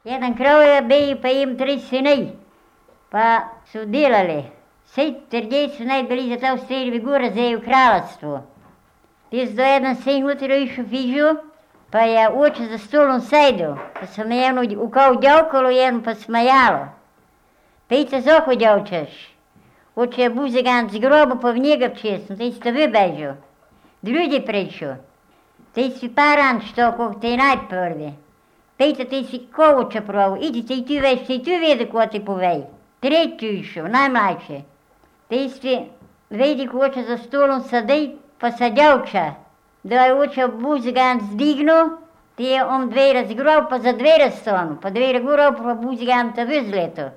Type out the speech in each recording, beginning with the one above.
Jedan kralj je bil, pa im 3 sinaj, pa so delali. Vsej 30 so naj bili za to streljivi gore zdaj v kraljestvu. Jaz do jedan sin jutro išel fižu, pa je oče za stolom sedel, pa se me eno ukao djavkalo, jedno pa smajalo. Pejte zoko djavčeš. Oče je buzigan z grobu, pa v njega včesno, te ste vybežu. Ljudi priču. Te si paran što, kog te najprvi. Pejte, te si kovoča pravu, idi te i tu veš, te i tu vede ko ti povej. Tretju išel, najmlajši. Te si vedi ko oče za stolom sadej, pa sa djavča. Da je oče buzigan zdignu, te je on dvere zgrov, pa za dvere stonu, pa dvere gurov, pa buzigan te vyzleto.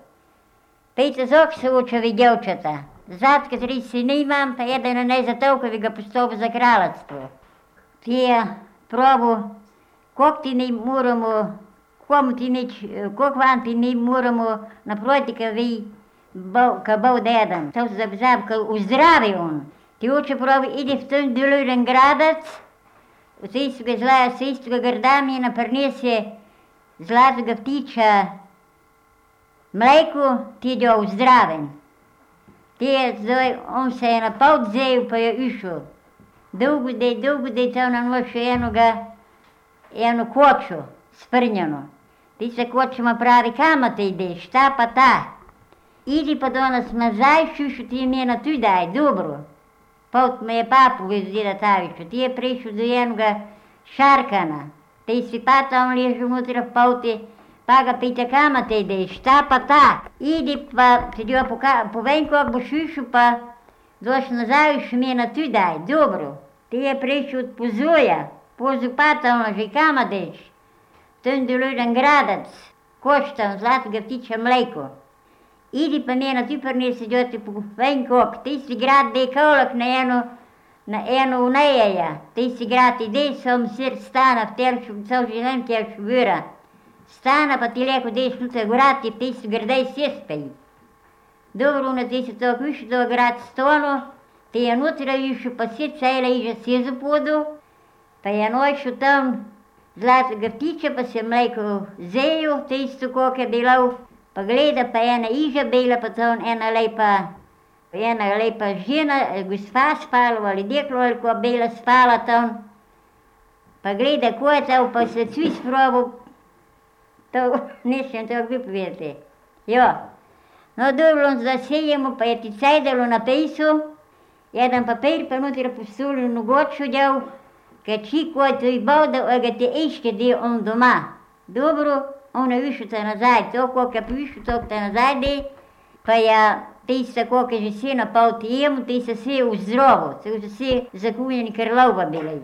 Pejte zok se očevi djavčata. Zatka 3 sine imam, pa jedan ne za toliko bi ga postavil za kraljstvo. Ti je probu, kog ti ne moramo, kog vam ti ne moramo naproti, ka bo dedan. To se zabzab, ka uzdravi on. Ti oče probu, ide v ten deluren gradac, v sejstvoga zlaja, sejstvoga grdamina, prinese zlatega ptiča, mleko, ti je uzdraven. Zdaj, on se je na pol vzel, pa je išel. Dolgo dej to na noč eno kočo, sprnjeno. Ti se kočima pravi, kama te ideš, ta pa ta. Idi pa danes nazaj, šušu ti mena tu daj, dobro. Pot me je papu Deda Taviču, ti je prišel do enoga šarkana. Ti si pa tam ležel unutra v poti, pa ga pita, kama te ideš, ta pa ta. Idi pa, ti jo povem, kog boš išel, pa doš nazaj, še mena tu daj, dobro. Ti je prišel od Pozoja, Pozu pa tam leži, kama deš. Ten deluren gradac, koštam zlatega ptiča mleko. Idi pa mena tu prinesi, da ti povem, kog, ti si grad dej kolak na eno unejeja. Ti si grad idej, som sir stana, v telšu, cel življen telšu vira. Stana pa ti leko deš nutra gorati, ti si grdej sjespej. Dobro, ti si tako išel do grad stonu, ti je nutra išel, pa si cela iža sjezu podu, pa je nošel tam zlatega ptiča, pa se mleko zeju, ti isto kog je delal, pa gleda, pa ena iža bela, pa tam ena lepa žena, gospa spala, ali deklo, ali ko bela spala tam, pa gleda, ko je to, pa se cvi sprobil. To nisem to vypovedati. Jo. No dobro, zasejemo, pa je ti cajdalo na pejsu, jedan papir pa nutra postuli nogoču djel, kad čiko je to i bavda, ga te iške di on doma. Dobro, on je višel te nazaj, to koliko je višel, to te nazaj di, pa je ti se koliko je že si napal ti jemu, ti se si v zdrovo, to so si zakunjeni krlova bili.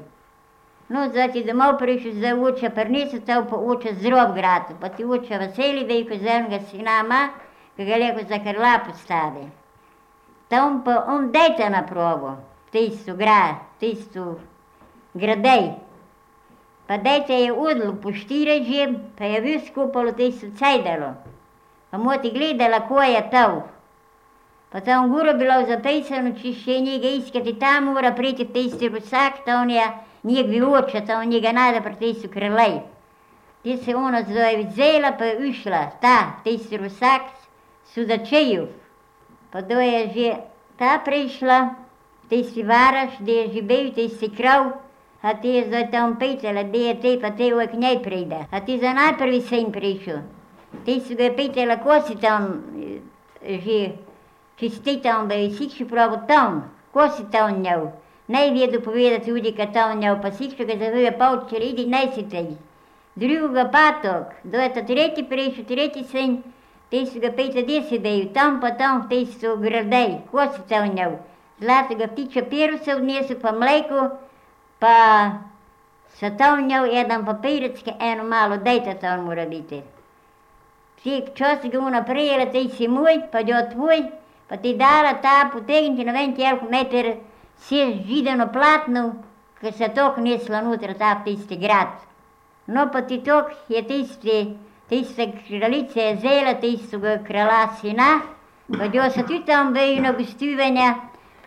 No, zdaj ti domov prišel, zdaj oče prinesel, to pa oče zdrav grad, pa ti oče veseli, vejko z enega sina ima, ki ga leko za krla postavi. Tam pa on dejte na probo, tisto gradej. Pa dejte je odlo po 4 že, pa je bil skupalo tisto cajdalo. Pa mu ti gledala, ko je to. Pa tam goro bilo zapisano, če še njega iskati, tam mora priti tisti rusak, to on je njegvi oče, to on njega najde pri tisto krlej. Ti se ona zdaj vzela, pa je ušla, tisti rusak, Sudačejev. Pa do je že ta prišla, tisti varaš, da je že bil tisti krav, a ti je zdaj tam pitala, da je te, pa te uvek njej pride. A ti za najprvi sin prišel. Ti si ga pitala, ko si tam že, če si ti tam bil, si še pravo tam, ko si tam njel. Ne vedu povedati ljudi, ka tam njel, pa si še ga zavuje povčer, idi, ne si tej. Druga patok, do je ta tretji prišel, tretji sin, ti si ga pitala, gdje si bil, tam pa tam v tisto gradej, ko si tam njel. Zlatega ptiča peru se odnesel, pa mleko, pa sa tam njel jedan papirec, ki eno malo dejta tam mora biti. Ti včasih ga ona prijela, ti si moj, pa jo tvoj, pa ti dala ta potegniti na ven koliko meter si zidano platno, ki se tok nesla nutra ta v tisti grad. No pa ti tok je tiste kraljice je zela, tistega krala sina, pa jo se tudi tam vejo na gostivanja,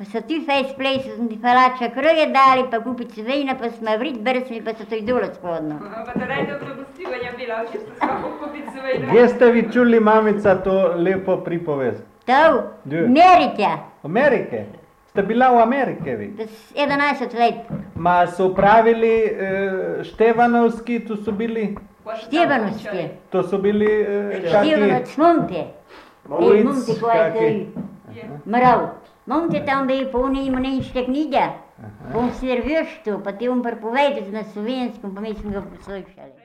Pa so ti fejs plesali, smo ti palača kroje dali, pa kupice vina, pa smo vrit brsnili, pa so to izdole spodno. Pa to najdobre gostivanja bila, če ste samo kupice vina. Gdje ste vi čuli, mamica, to lepo pripovest? To? Gdje? Amerika. Amerike? Ste bila v Amerike vi? 11 let. Ma su pravili Števanovski, tu su bili? Števanovski. To su bili Števanovac, Monte. Ulic, Monte koja je kaki? to mrav. Monte tam da je polno ima nemške knjige. On servirš to, pa ti on prepovedati na slovenskom, pa mi smo ga poslušali.